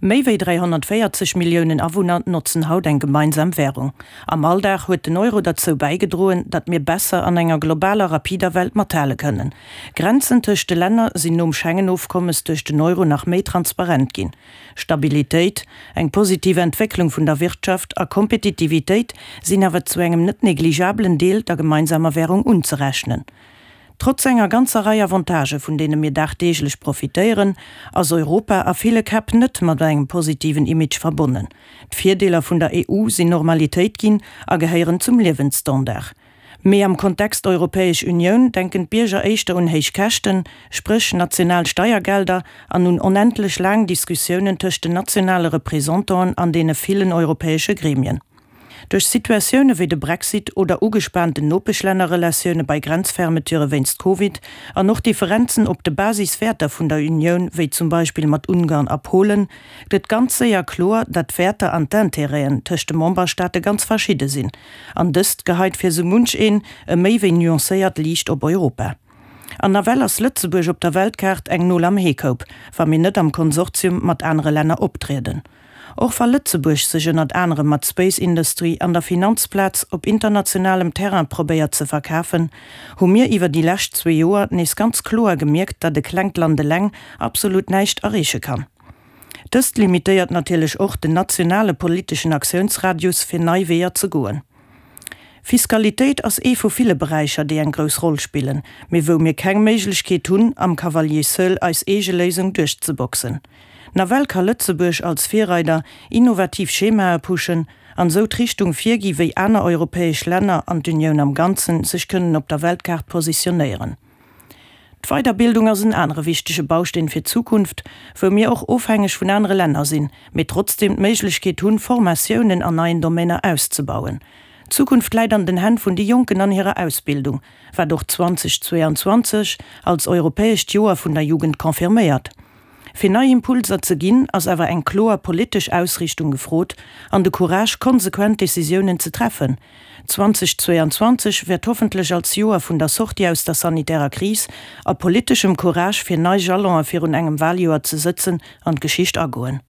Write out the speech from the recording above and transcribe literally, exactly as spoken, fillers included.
Méi wéi dräihonnertvéierzeg Milliounen Awunner notzen haut eng gemeinsam Wärung. Am Alldag huet den Euro derzou bäigedroen, datt mir besser an enger globaler, rapider Welt mathale kënnen. Grenzen tëscht de Länner sinn nom Schengen-Ofkommes duerch den Euro nach méi transparent ginn. Stabilitéit, eng positiv Entwécklung vun der Wirtschaft a Kompetitivitéit sinn awer zu engem net negligabelen Deel der gemeinsamer Wärung unzerechnen. Trotz enger ganzer Rei Avantagë vun deene mir dagdeeglech profitéieren, ass Europa a ville Käpp net mat engem positiven Image verbonnen. D'Virdeeler vun der E U sinn Normalitéit ginn a gehéieren zum Liewensstandard. Mee am Kontext Europäesch Unioun denken d'Bierger éischter un héich Käschten, spréch national Steiergelder, an un onendlech laang Diskussiounen tëscht den nationale Representanten an deene villen europäesche Gremien. Duerch Situatioune wéi de Brexit oder ugespaanten Nopeschlännerrelatioune bei Grenzfermeture wéinst Covid an och Differenzen op de Basiswäerter vun der Unioun, wéi zum Beispill mat Ungarn a Polen, gëtt ganz séier kloer, datt d'Wäerter an d'Intérêten tëscht de Memberstaate ganz verschidde sinn. An dëst geheit fir sou munch een e méi wéi nuancéiert Liicht op Europa. An nawell ass Lëtzebuerg op der Weltkaart eng Nol am Heekoup, wa mir net am Konsortium mat anere Länner optrieden. Och wa Lëtzebuerg sech ënnert anerem mat Space Industry an der Finanzplaz op internationalem Terrain probéiert ze verkafen, hu mir iwwer déi lescht zwee Joer nees ganz kloer gemierkt, datt e klengt Land eleng absolut näischt erreeche kann. Dëst limitéiert natierlech och den nationale politeschen Aktiounsradius fir nei Weeër ze goen. Fiskalitéit ass ee vu ville Beräicher, déi eng grouss Roll spillen, mee wou mir keng Méiglechkeet hunn, am Cavalier seul eis eege Léisung duerchzeboxen. Nawell ka Lëtzebuerg als Virreider innovativ Schemae pushen an esou d'Richtung virgi wéi aner europäesch Länner an d'Unioun am Ganzen sech kënnen op der Weltkaart positionéieren. D'Weiderbildung ass en anere wichtege Bausteen fir d'Zukunft, wou mir och ofhängeg vun anere Länner sinn, mee trotzdeem d'Méiglechkeet hunn, Formatiounen an neien Domainer auszebauen. D'Zukunft läit an den Hänn vun de Jonken an hirer Ausbildung, wat och zweedausendzweianzwanzeg als europäescht Joer vun der Jugend confirméiert. Fir nei Impulser ze ginn, ass awer eng kloer politesch Ausriichtung gefrot an de Courage, konsequent Decisiounen ze treffen. zweedausendzweianzwanzeg wäert hoffentlech als Joer vun der Sortie aus der sanitärer Kris a politeschem Courage fir nei Jalonen virun engem Waljoer ze sëtzen an d'Geschicht agoen.